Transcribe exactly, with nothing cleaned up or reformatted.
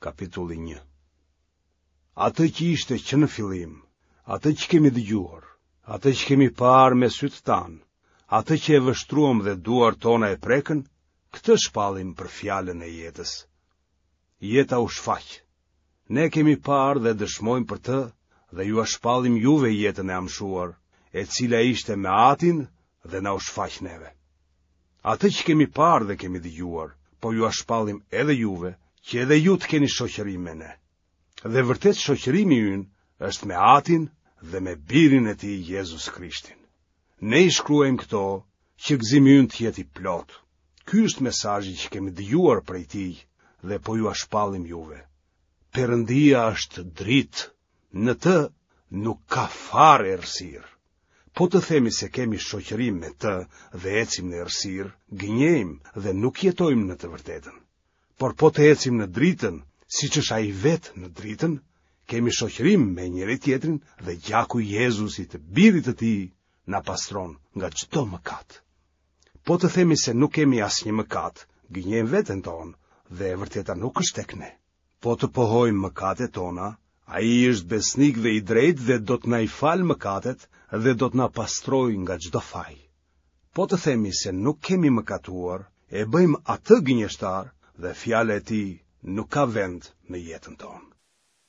kapitulli një. Atë që ishte që në fillim, atë që kemi dëgjuar, atë që kemi parë me sytë tanë, atë që e vështruam dhe duart tona e prekën, këtë shpallim për fjalën e jetës. Jeta u shfaq. Ne kemi parë dhe dëshmojmë për të dhe jua shpallim juve jetën e amshuar, e cila ishte me Atin dhe na u shfaq neve. Atë që kemi parë dhe kemi dëgjuar, po jua shpallim edhe juve, që edhe ju të keni shoqërim me ne. Dhe vërtet shoqërimi ynë është me Atin dhe me Birin e Tij Jezus Krishtin. Ne i shkruajmë këto që gëzimi ynë të jetë i plotë. Ky është mesazhi që kemi dëgjuar prej Tij dhe po jua shpallim juve. Perëndia është dritë, në të nuk ka fare errësirë. Po të themi se kemi shoqërim me të dhe ecim në errësirë, gënjejmë dhe nuk jetojmë në të vërtetën. Por po të ecim në dritën, siç është ai vetë në dritën, kemi shoqërim me njëri-tjetrin dhe gjaku i Jezusit, birit të tij, na pastron nga çdo mëkat. Po të themi se nuk kemi asnjë mëkat, gënjejmë veten tonë dhe e vërteta nuk është tek ne. Po të pohojmë mëkatet tona, ai është besnik dhe i drejtë dhe do të na i falë mëkatet dhe do të na pastrojë nga çdo faj. Po të themi se nuk kemi mëkatuar, e bëjmë atë gënjeshtar dhe fjala e tij nuk ka vend në jetën tonë.